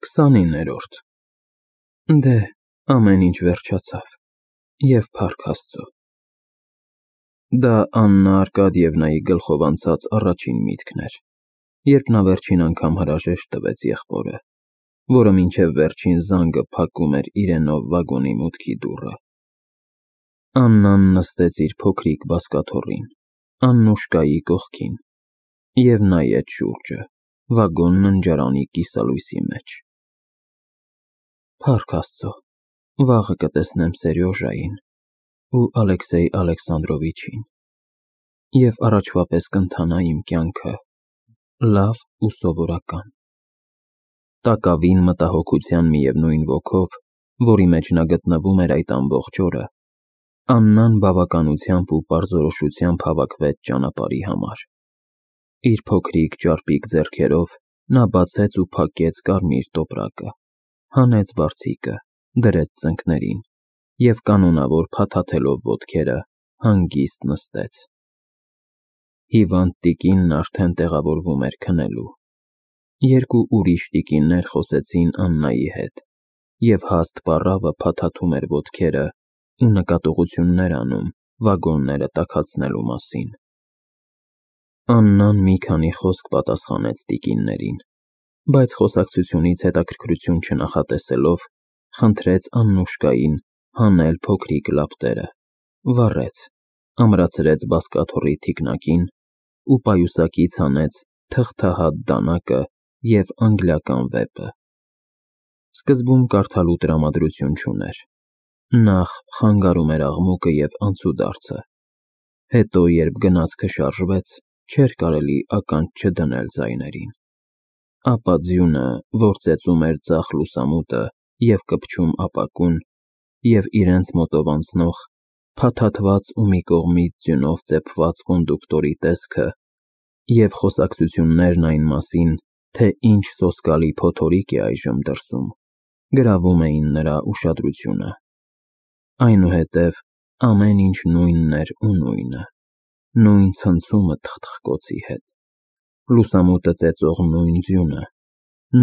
29-րդ Դե, ամեն ինչ վերջացավ, և փառք Աստծո։ Դա Աննա Արկադիևնայի գլխով անցած առաջին միտքն էր, երբ նա վերջին անգամ հրաժեշտ տվեց եղբորը, որը մինչև վերջին զանգը փակում էր իրենով վագոնի մուտքի դուռը։ Աննան նստեց իր փոքրիկ բազկաթոռին, Աննուշկայի կողքին, և նայեց շուրջը, վագոն ննջարանի կիսալույսի մեջ։ Փառք Աստծո, վաղը կտեսնեմ Սերյոժային ու Ալեքսեյ Ալեքսանդրովիչին, և առաջվա պես կընթանա իմ կյանքը, լավ ու սովորական։ Տակավին մտահոգության միևնույն ոգով, որի մեջ նա գտնվում էր այդ ամբողջ օրը, Աննան բավականությամբ ու պարզորոշությամբ հավաքվեց ճանապարհի համար։ Իր փոքրիկ ճարպիկ ձեռքերով նա բացեց ու փակեց կարմիր տոպրակը, հանեց բարձիկը, դրեց ծնկներին և կանոնավոր փաթաթելով ոտքերը, հանգիստ նստեց։ Հիվանդ տիկինն արդեն տեղավորվում էր քնելու։ Երկու ուրիշ տիկիններ խոսեցին Աննայի հետ, և հաստ պառավը փաթաթում էր ոտքերը ու նկատողություններ անում վագոնները տաքացնելու մասին։ Աննան մի քանի խոսք պատասխանեց տիկիններին, բայց խոսակցությունից հետաքրքրություն չնախատեսելով, խնդրեց Աննուշկային հանել փոքրիկ լապտերը, վառեց, ամրացրեց բազկաթոռի թիկնակին ու պայուսակից հանեց թղթահատ դանակը և անգլիական վեպը։ Սկզբում կարդալու տրամադրություն չուներ, նախ խանգարում էր աղմուկը և անցուդարձը, հետո երբ գնացքը շարժվեց, չէր կարելի ականջ չդնել ձայներին, ապա ձյունը, որ ծեծում էր ձախ լուսամուտը և կպչում ապակուն, և իրենց մոտով անցնող, փաթաթված ու մի կողմից ձյունով ծեփված կոնդուկտորի տեսքը և խոսակցություններն այն մասին, թե ինչ սոսկալի փոթորիկ է այժմ դրսում, գրավում էին նրա ուշադրությունը։ Այնուհետև ամեն ինչ նույնն էր ու նույնը, նույն ցնցումը թխթխկոցի հետ, լուսամուտը ծեծող նույն ձյունը,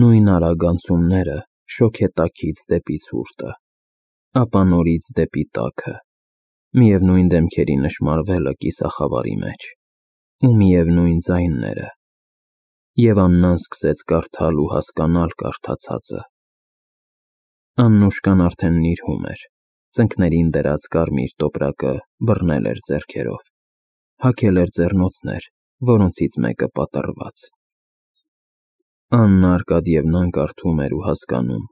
նույն արագ անցումները շոգետաքից դեպի ցուրտը, ապա նորից դեպի տաքը, միևնույն դեմքերի նշմարվելը կիսախավարի մեջ, ու միևնույն ձայները, և Աննան սկսեց կարդալ ու հասկանալ կարդացածը։ Աննուշկան արդեն նիրհում էր, ծնկներին դրած կարմիր տոպրակը բռնել էր ձեռքերով, հագել էր ձեռնոցներ, որոնցից մեկը պատռված։ Աննա Արկադիևնան կարդում էր ու հասկանում,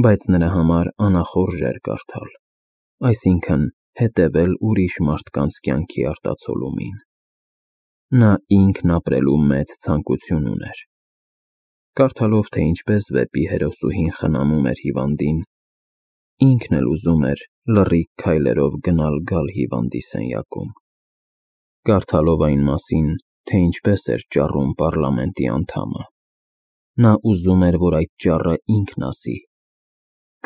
բայց նրա համար անախորժ էր կարդալ, այսինքն՝ հետևել ուրիշ մարդկանց կյանքի արտացոլումին։ Նա ինքն ապրելու մեծ ցանկություն ուներ։ Կարդալով, թե ինչպես վեպի հերոսուհին խնամում էր հիվանդին, ինքն էլ ուզում էր լռիկ քայլերով գնալ֊գալ հիվանդի սենյակում։ Կարդալով այն մասին, թե ինչպես էր ճառում պառլամենտի անդամը, նա ուզում էր, որ այդ ճառը ինքն ասի։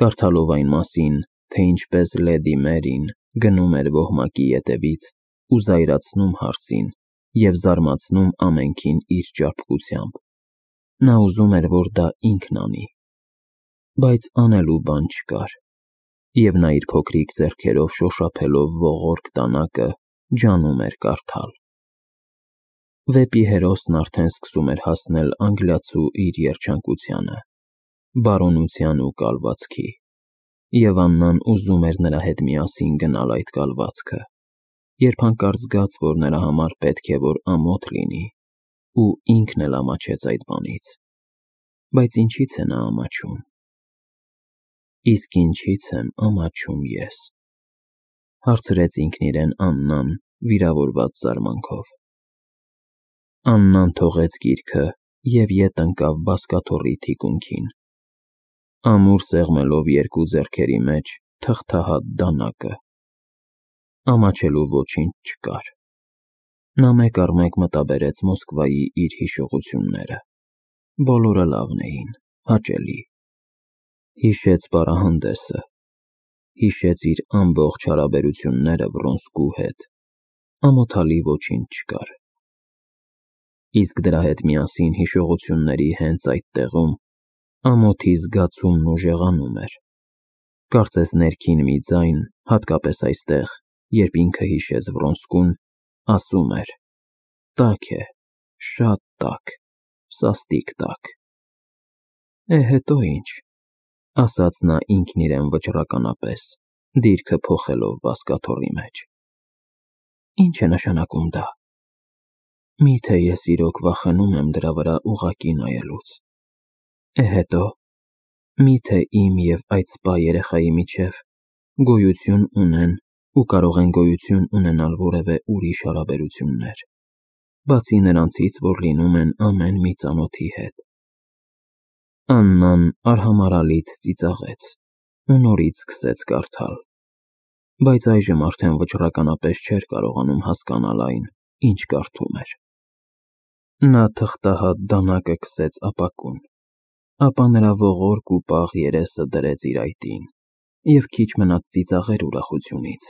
Կարդալով այն մասին, թե ինչպես լեդի Մերին գնում էր ոհմակի ետևից ու զայրացնում հարսին և զարմացնում ամենքին իր ճարպկությամբ, նա ուզում էր, որ դա ինքն անի, բայց անելու բան չկար, և նա իր փոքրիկ ձեռքերով շոշափելով ողորկ դանակը, ջանում էր կարդալ։ Վեպի հերոսն արդեն սկսում էր հասնել անգլիացու իր երջանկությանը, բարոնության ու կալվածքի, և Աննան ուզում էր նրա հետ միասին գնալ այդ կալվածքը, երբ հանկարծ զգաց, որ նրա համար պետք է որ ամոթ լինի, ու ինքն էլ ամաչեց այդ բանից։ Բայց ինչի՞ց է նա ամաչում։ Իսկ ինչի՞ց եմ ամաչում ես, հարցրեց ինքն իրեն Աննան վիրավորված զարմանքով։ Աննան թողեց գիրքը և ետ ընկավ բազկաթոռի թիկունքին, ամուր սեղմելով երկու ձեռքերի մեջ թղթահատ դանակը։ Ամաչելու ոչինչ չկար։ Նա մեկ առ մեկ մտաբերեց Մոսկվայի իր հիշողությունները, բոլորը լավն էին, հաճելի։ Հիշեց պարահանդեսը, հիշեց իր ամբողջ հարաբերությունները Վռոնսկու հետ, ամոթալի ոչինչ չկար։ Իսկ դրա հետ միասին հիշողությունների հենց այդ տեղում Ամոթի զգացումն ուժեղանում էր։ Կարծես ներքին մի ձայն, հատկապես այստեղ, երբ ինքը հիշեց Վրոնսկուն, ասում էր. «Տաք է, շատ տաք, սաստիկ տաք»։ Հետո ինչ, ասաց նա ինքն իրեն վճռականապես, դիրքը փոխելով բազկաթոռի մեջ։ Ինչ է նշանակում դա։ Միթե ես իրոք վախենում եմ դրա վրա ուղղակի նայելուց։ Հետո, միթե իմ և այդ սպա երեխայի միջև գոյություն ունեն ու կարող են գոյություն ունենալ որևէ ուրիշ հարաբերություններ, բացի նրանցից, որ լինում են ամեն մի ծանոթի հետ։ Աննան արհամարհալից ծիծաղեց ու նորից սկսեց կարդալ, բայց այժմ արդեն վճռականապես չէր կարողանում հասկանալ այն, ինչ կարդում էր։ Նա թղթահատ դանակը քսեց ապակուն, ապա նրա ողորկ ու պաղ երեսը դրեց իր այտին, և քիչ մնաց ծիծաղեր ուրախությունից,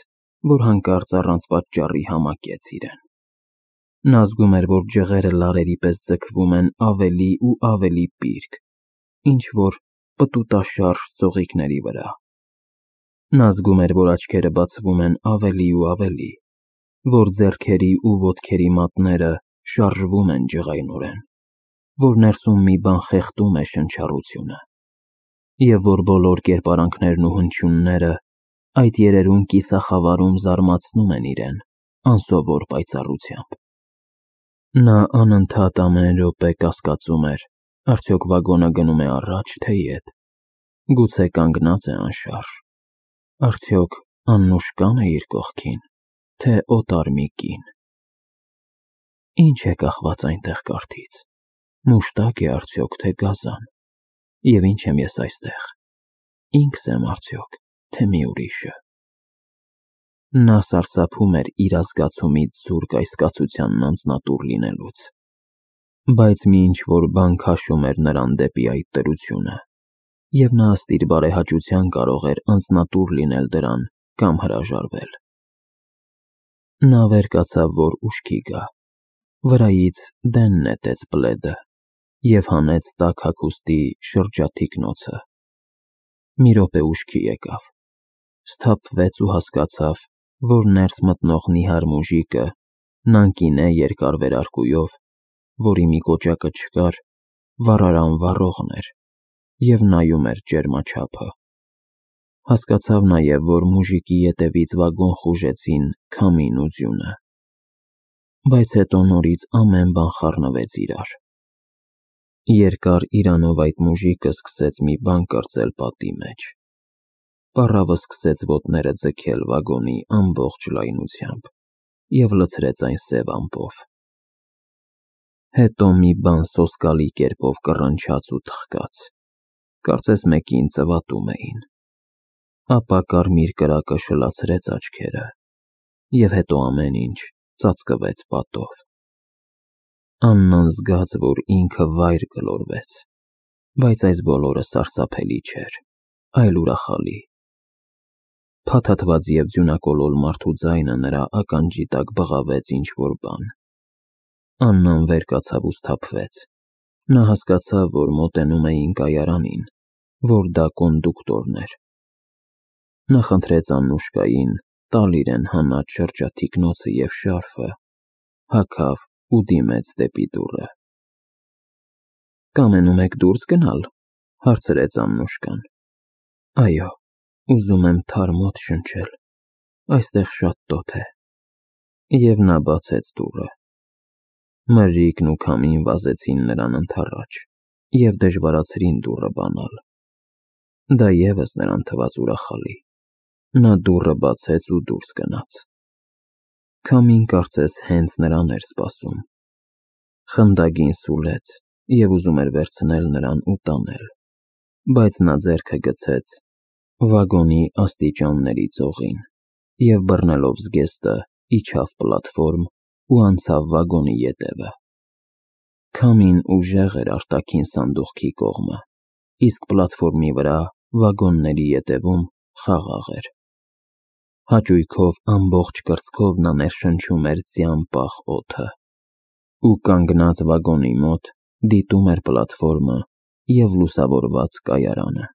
որ հանկարծ առանց պատճառի համակեց իրեն։ Նա զգում էր, որ ջղերը լարերի պես ձգվում են ավելի ու ավելի պիրկ, ինչ-որ պտուտաշարժ ծաղիկների վրա։ Նա զգում էր, որ աչքերը բացվում են ավելի ու ավելի, որ ձեռքերի ու ոտքերի մատները շարժվում են ջղայնորեն, որ ներսում մի բան խեղդում է շնչառությունը, և որ բոլոր կերպարանքներն ու հնչյունները այդ երերուն կիսախավարում զարմացնում են իրեն անսովոր պայծառությամբ։ Նա անընդհատ ամեն րոպե կասկածում էր, արդյոք վագոնը գնում է առաջ, թե ետ, գուցե կանգնած է անշարժ, արդյոք Աննուշկան է իր կողքին, թե օտար մի կին։ Ինչ է կախված այնտեղ կարդից, մուշտակ է արդյոք, թե գազան, և ինչ եմ ես այստեղ, ինքս եմ արդյոք, թե մի ուրիշը։ Նա սարսափում էր իր ազգացումից զուրկ այս կացությանն անձնատուր լինելուց, բայց մի ինչ-որ բան քաշում էր նրան դեպի այդ տրությունը, և նա ըստ իր բարեհաճության կարող էր անձնատուր լինել դրան կամ հրաժարվել։ Նա վեր կացավ, որ ուշքի գա, վրայից դեն նետեց պլեդը և հանեց տաք հագուստի շրջաթիկնոցը։ Մի րոպե ուշքի եկավ, սթափվեց ու հասկացավ, որ ներս մտնող նիհար մուժիկը նանկին է երկար վերարկուով, որի մի կոճակը չկար, վառարան վառողն էր և նայում էր ճերմաչափը։ Հասկացավ նաև, որ մուժիկի ետևից վագոն խուժեցին քամին ու ձյունը, բայց հետո նորից ամեն բան խառնվեց իրար։ Երկար իրանով այդ մուժիկը սկսեց մի բան կրծել պատի մեջ։ Պառավը սկսեց ոտները ձգել վագոնի ամբողջ լայնությամբ և լցրեց այն սև ամպով։ Հետո մի բան սոսկալի կերպով կռնչաց ու թխկաց, կարծես մեկին ծվատում էին, ապա կարմիր կրակը շլացրեց աչքերը, և հետո ամեն ինչ ծածկվեց պատով։ Աննան զգաց, որ ինքը վայր գլորվեց, բայց այս բոլորը սարսափելի չէր, այլ ուրախալի։ Փաթաթված և ձյունակոլոր մարդու ձայնը նրա ականջի տակ բղավեց ինչ-որ բան։ Աննան վեր կացավ ու սթափվեց։ Նա հասկացավ, որ մոտենում էին կայարանին, որ դա կոնդուկտորն էր։ Նա խնդրեց Աննուշկային տալ իրեն հանած շրջաթիկնոցը և շարֆը, հագավ ու դիմեց դեպի դուռը։ «Կամենում եք դուրս գնալ», հարցրեց Աննուշկան։ «Այո, ուզում եմ թարմ օդ շնչել, այստեղ շատ տոտ է»։ Եվ նա բացեց դուռը։ Մրրիկն ու քամին վազեցին նրան ընդառաջ և դժվարացրին դուռը բանալ։ Դա ևս նրան թվաց ուրախալի։ Նա դուռը բացեց ու դուրս գնաց։ Քամին կարծես հենց նրան էր սպասում։ Խնդագին սուլեց և ուզում էր վերցնել նրան ու տանել, բայց նա ձեռքը գցեց վագոնի աստիճանների ծողին և բռնելով զգեստը իջավ պլատֆորմ ու անցավ վագոնի ետևը։ Քամին ուժեղ էր արտաքին սանդուղքի կողմը, իսկ պլատֆորմի վրա վագոնների ետևում խաղաղ էր։ Հաճույքով ամբողջ կրծքով նա ներշնչում էր ձյան պաղ օդը ու կանգնած վագոնի մոտ դիտում էր պլատֆորմը և լուսավորված կայարանը։